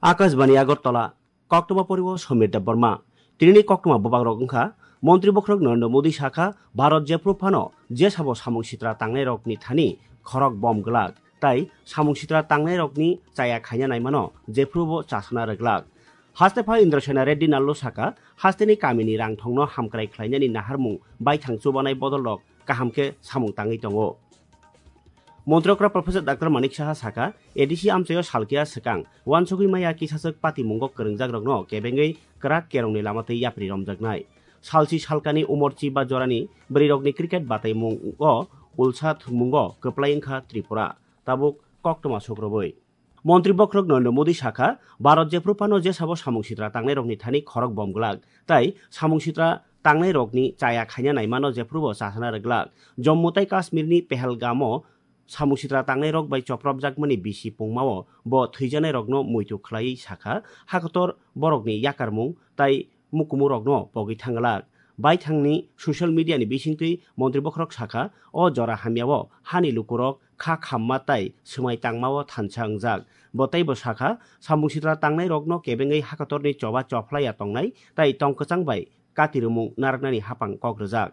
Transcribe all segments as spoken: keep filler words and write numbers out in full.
Akashbani Agartala, koktwma poriwo Somir Debbarma. Tinini koktwma bwbagrok wngkha, Montri Bokhorok Narendra Modi sakha, Bharat jephru phano jesabo samung sitra tangnairokni thani khorok bom glak, tai samung sitra tangnairokni chaya khaina naimano jephrubo chasana rwglak. Haste pha Indrasena Reddy Nallo sakha, hasteni kamini rangthongno hamkrai khlainani naharmung baithang chubanai bodolrok kaham khe samung tangwi tongo. Montri okra Professor Doctor Manik Saha sakha, A D C amchaio salkia swkang wansugwi maya kisaswk patimungo kwrwngjakrokno kebengwi kwrak kerongni lama twi yapri romjaknai. Salsi salkani umor chiba jorani bwrwirokni cricket bataimungo ulsa thwngmungo kwplai wngkha Tripura, tabuk koktwma sukrubwi. Montri Bokhorok Narendra Modi sakha, Bharat jephru phano jesabo samung sitra tangnairokni thani khorok bom glak, tai samung sitra tangnairokni chaya khaina naimano jephrubo chasana rwglak. Jammu tai Kashmirni Pahalgamo samung sitra tangnairok bai chopropjakmani bisi pungmao bo thwijanairokno muitu khlaiwi sakha, hakotor borokni yakarmung tai mukumurokno pogwi thanglak. Baithangni social media ni bisingtwi Montri Bokhorok sakha, o jora hamyao hani lukurok kha khamma tai swmai tangmao thansa wngjak. Bo teibo sakha, samung sitra tangnairokno kebengwi hakotorni choba chophlaiya tongnai tai tong kwchang bai katirwmung narwknani hapang kok rwjak.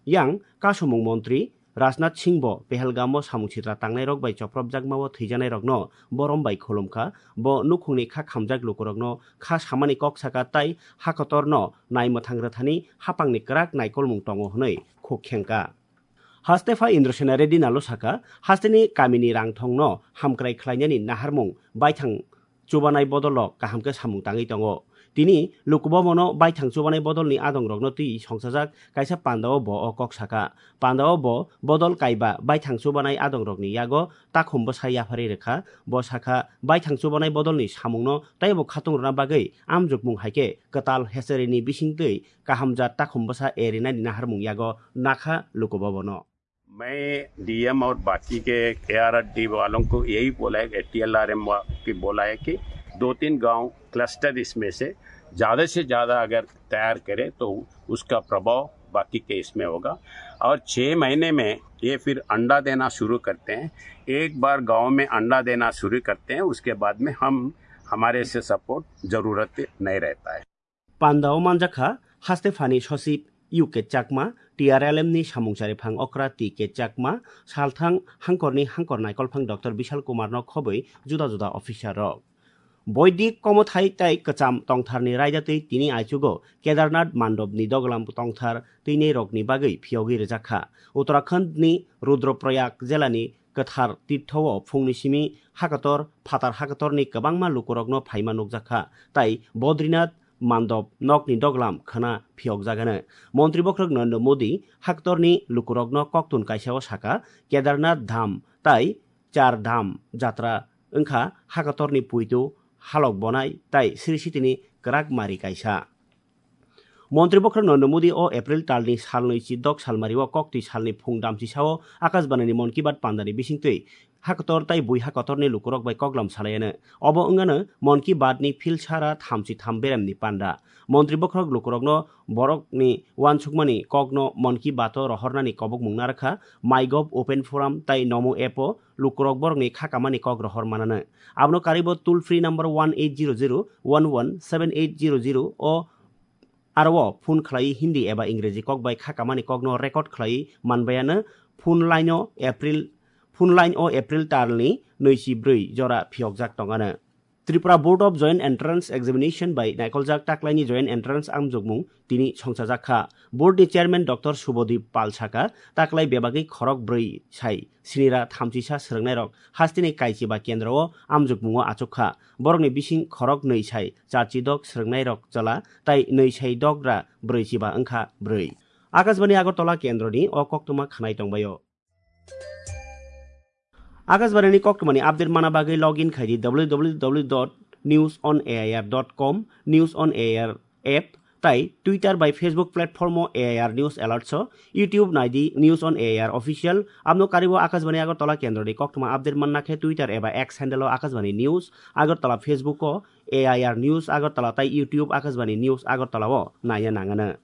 Yang kasumung montri Rajnath Singh bo Pahalgamo samung sitra tangnairok bai chopropjakmao thwijanairokno borom bai khulumkha. Bo nukhungni kha khamjak lukurokno kha samani kok saka tai hakotorno naimwthang rwthani hapangni kwrak naikolmung tongo hwnwi khuk khengkha. Haste pha Indrasena Reddy Nallo sakha, hasteni kamini rangthongno hamkrai khlainani naharmung baithang chubanai bodolrok kaham khe samung tangwi tongo. Tini lukubhabono baithang chubanai bodolni adongrokno twi songsajak kaisa pandao bo o kok sakha. Pandao bo bodol kaiba baithang chubanai adongrokni yago takhum bwsa yapharwi rwkha. Bo sakha, baithang chubanai bodolni samungno teibo khatung rwna bagwi amjokmung hai khe kwtal hecherini bisingtwi kahamjat takhum bwsa erinani naharmung yago nakha lukubhabono. मैं डीएम और बाकी के एआरडी वालों को यही बोला है, टीएलआरएम की बोला है कि दो तीन गांव क्लस्टर इसमें से ज्यादा से ज्यादा अगर तैयार करें तो उसका प्रभाव बाकी के इसमें होगा। और छः महीने में ये फिर अंडा देना शुरू करते हैं। एक बार गांव में अंडा देना शुरू करते हैं, उसके बाद में हम हमारे से सपोर्ट जरूरत नहीं रहता है। Pandao manjakha haste phani sosip U K Chakma, T R L M ni samung chariphang okra T K Chakma, salthang hangkorni hangkor naikolphang Doctor Bishal Kumar no khobwi juda juda officer rok. Boidik komothai tai kwcham tongtharni raidatwi tini aichugo Kedarnath mandopni doglam tongthar twinai rokni bagwi phiyogwi rwjakha. Uttarakhand ni Rudraprayag jelani kwthar tirtho-o phungni simi hakator phatar hakatorni kwbangma lukurokno phaima nukjakha, tai Bodrinath mandop nokni doglam khwna phiyokjagano. Montri bokhorok Narendra Modi hakatorni lukurokno koktun kaisa-o sakha, Kedarnath dham tai Char Dham jatra wngkha hakatorni puitu halok bonai tai Sri Sitini kwrak mari kaisa. Montri bokhorok Narendra Modi o April talni salnwi chidok salmario koktwi salni phung damchisao Akashbanini Mon Ki Baat pandani bisingtwi hakator tai bui hakatorni lukurok bai koklam salaiano. Obo wngano Mon Ki Baat ni philsara thamchi tham beremni panda. Montri bokhorok lukurokno borokni uansukmani kokno Mon Ki Baat o rohornani kobokmung narwkha, MyGov Open Forum tai Namo app o lukurok borokni kha kamani kok rohor manano. Abono karwibo toll free number one eight zero zero one one seven eight zero zero o aro o phone khlaiwi Hindi eba Ingreji kok bai kha kamani kokno record khlaiwi manbaiano phone line o April, phone line o April talni nwichi bwrwi jora phiyokjak tongano. Tripura Board of Joint Entrance Examination bai naikoljak taklaini Joint Entrance amjokmung tini songchajak kha. Board ni Chairman Doctor Subodip Pal sakha, taklai bebagwi khorok bwrwi sai sinira thamchisa swrwngnairok hasteni kaichiba kendro o amjokmungo achuk kha. Borokni bising khorok nwi sai charchidok swrwngnairok chwla tai nwi sai dogra bwrwichiba wngkha bwrwi. Akashbani Agartala kendroni o koktwma khwnai tongbaio. Akashbani ni koktwmani update mana bagwi log in khai di W W W dot news on A I R dot com, News on A I R app, tai Twitter bai Facebook platform o A I R News Alerts o, YouTube nai di News on A I R Official, abno karibo Akashbani Agartala kendroni koktwma update manna khe Twitter eba X handle o Akashbani News Agartala, Facebook o A I R News Agartala tai YouTube Akashbani News Agartala o naiya nangano.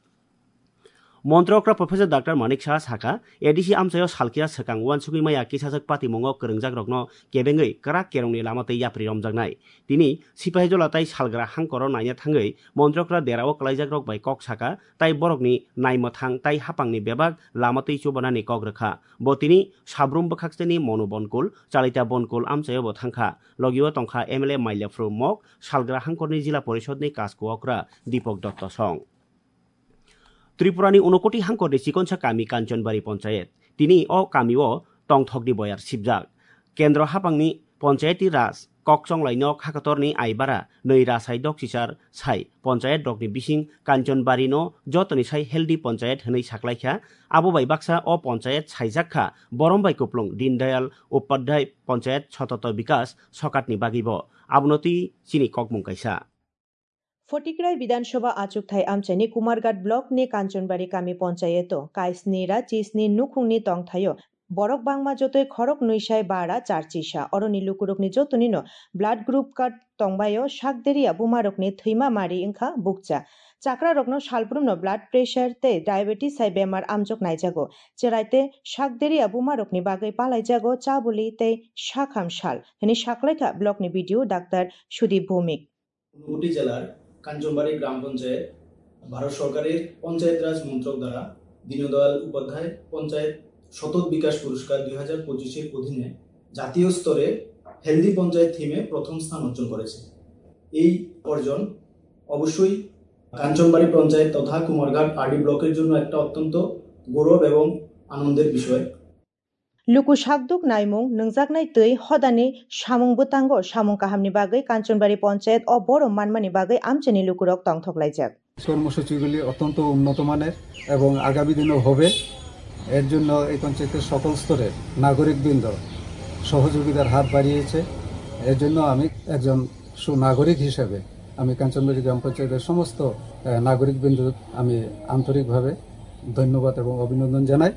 Montri okra Professor Doctor Manik Saha sakha, A D C amchaio salkia swkang uansugwi maya kisajak patimungo kwrwngjakrokno kebengwi kwrak kerongni lama tei yapri romjaknai. Tini Sipahijola tei Salgra hangkoro naina thangwi montri okra derao kwlaijakrok bai kok sakha, tai borokni naimwthang tai hapangni bebak lama twi chubanani kok rwkha. Bo tini Sabrum bwkhakseni Monu Bonkul, Chalita Bonkul amchaio bo thangkha. Logio tongkha M L A Mailaphru Mok, Salgra hangkorni Jila Porishodni Kasku okra Dipok Dotto song. Tripurani Unokoti hangkorni chikonsa kami Kanchanbari Ponchayet. Tini o kamio tongthokni boyar sibjak. Kendro hapangni Ponchayati Raj kokchonglai nok hakatorni aibara nwi rasai dok chichar sai ponchayet rokni bising Kanchanbari no jotoni sai healthy ponchayet hwnwi saklaikha. Abo bai baksa o ponchayet saijak kha Borom bai Kuplung Deen Dayal Upadhyay Ponchayet Sototo Bikas Sokatni bagwibo. Abono twi chini kokmung kaisa. Photikrai Bidhan Sabha achukthai amchaini Kumarghat block ni Kanchanbari kami ponchayeto kaisni ra chisni nukhungni tongthaio borok bangma jotoi khorok nwi sai bara char chisa. Oroni lukurokni jotonino blood group card tongbaio. Sakderia bumarokni thwima mari wngkha bukcha. Chakrarokno salbrumno blood pressure tei diabetes hai bemar amjok naijago. Cherai tei sakderia bumarokni bagwi palaijago chabuli tei sakham sal, hwnwi saklaikha blockni B D O Doctor Sudip Bhowmik. Unakoti জেলার কাঞ্চনবাড়ি গ্রাম পঞ্চায়েত ভারত সরকারের পঞ্চায়েত রাজ মন্ত্রক দ্বারা দীনদয়াল উপাধ্যায় পঞ্চায়েত সতত বিকাশ পুরস্কার দুই হাজার পঁচিশের অধীনে জাতীয় স্তরে হেলদি পঞ্চায়েত থিমে প্রথম স্থান অর্জন করেছে। এই অর্জন অবশ্যই কাঞ্চনবাড়ি পঞ্চায়েত তথা কুমারঘাট আরডি ব্লকের জন্য একটা অত্যন্ত গৌরব এবং আনন্দের বিষয়। Luku sakduk naimung, nwngjaknai twi hodani samung bwtango samung kahamni bagwi Kanchanbari Ponchayet o borom manmani bagwi amchaini lukurok tongthok laijak. কর্মসূচিগুলি অত্যন্ত উন্নত মানের এবং আগামী দিনেও হবে। এর জন্য এই পঞ্চায়েতের সকল স্তরের নাগরিকবৃন্দ সহযোগিতার হাত বাড়িয়েছে। এর জন্য আমি একজন সুনাগরিক হিসেবে আমি কাঞ্চনবাড়ি গ্রাম পঞ্চায়েতের সমস্ত, আহ, নাগরিকবৃন্দ আমি আন্তরিকভাবে ধন্যবাদ এবং অভিনন্দন জানাই।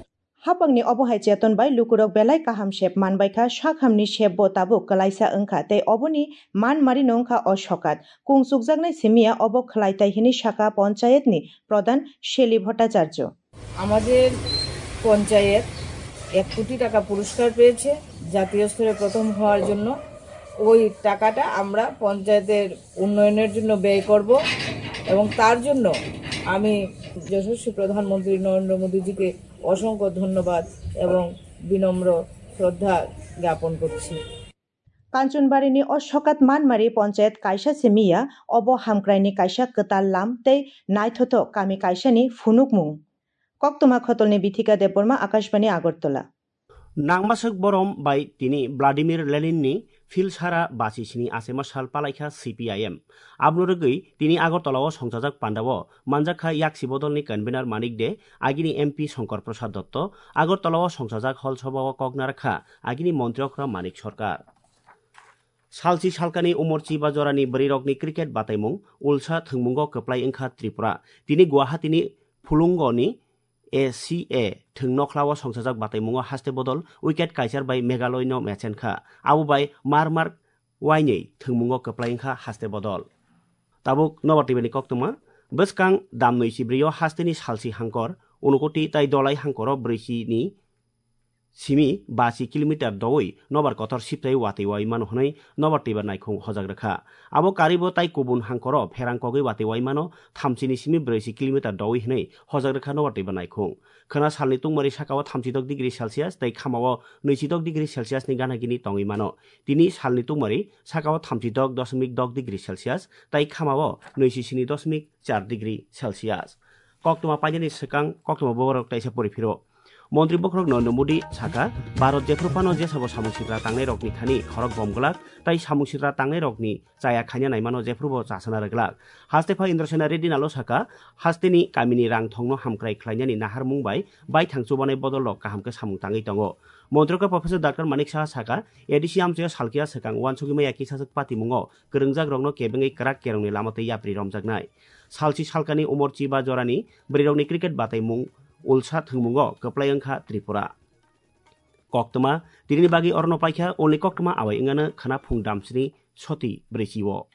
Hapangni obo hai cheton bai lukurok belai kaham sep manbaikha, sakhamni sepbo tabuk kwlaisa wngkha tei oboni manmarino wngkha o sokat. Kung chukjaknai simiya obo khwlaitai hwnwi sakha ponchayetni prodhan Seli Bhattacharya. আমাদের পঞ্চায়েত এক কোটি টাকা পুরস্কার পেয়েছে জাতীয় স্তরে প্রথম হওয়ার জন্য। ওই টাকাটা আমরা পঞ্চায়েতের উন্নয়নের জন্য ব্যয় করব এবং তার জন্য আমি যশস্বী প্রধানমন্ত্রী নরেন্দ্র মোদীজিকে অসংখ্য ধন্যবাদ এবং বিনম্র শ্রদ্ধা জ্ঞাপন করছি। Kanchanbarini o sokat manmari ponchayet kaisa simiya, obo hamkraini kaisa kwtal lam tei naithothok kami kaisani phunukmung. Koktwma Khotolni Bithika Debbarma, Akashbani Agartala. Nangmaswk borom bai tini Vladimir Leninni phil sara basi sini achema sal palaikha C P I M. Aboni rwgwi tini Agartala-o songchajak pandao manjakha yaksi bodolni convener Manik De, agini M P Shankar Prasad Dotto, Agartala-o songchajak hol sabao kok narwkha agini montri okra Manik Sarkar. Salchi salkani umor chiba jorani bwrwirokni cricket bataimung ulsa thwngmungo kwplai wngkha Tripura. Tini Guwahati-ni Phulungoni A C A thwng nokhlao songchajak bataimungo haste bodol wicket kaichar bai Meghalaya-no mechenkha. Abo bai mar mar wainwi thwngmungo kwplai wngkha haste bodol. Tabuk nobar twibani koktwma, bwskang damnwi chibrwi-o hasteni salsi hangkor, Unukoti tai Dolai hangkoro brwichini simi basi kilometer dowi nobar kotor siptai watwi wai mano hwnwi nobar twibar naikhung hojak rwkha. Abo karibo tai kubun hangkoro pherang kogwi watwi wai mano thamchini simi brwichi kilometer dowi hwnwi hojak rwkha nobar twibar naikhung. Khwna salni tungmari sakao thamchidok degree Celsius tei khamao nwichidok degree Celsius ni gana gini tongwi mano. Tini salni tungmari sakao thamchidok doshmik dok degree Celsius tei khamao nwichi sini doshmik char degree Celsius. Koktwma painani swkang koktwma boborok taisa pori phiro. Montri bokhorok Narendra Modi sakha, Bharat jephru phano jesabo samung sitra tangnairokni thani khorok bom glak, tai samung sitra tangnairokni chaya khaina naimano jephrubo chasana rwglak. Haste pha Indra Sena Reddy nalo sakha, hasteni kamini rang thongno hamkrai khlainani naharmung bai baithang chubanai bodolrok kaham khe samung tangwi tongo. Montri khe Professor Doctor Manik Saha sakha, A D C amchaio salkia swkang uansugwi maya kisajak patimungo kwrwngjakrokno kebengwi kwrak kerongni lama twi yapri romjaknai. Salchi salkani umor chiba jorani bwrwirokni cricket bataimung ulsa thwngmungo kwplai wngkha Tripura. Koktwma, tinini bagwi orono paikha, ulni koktwma awai wngano khwna phung damsini soti brwichi-o.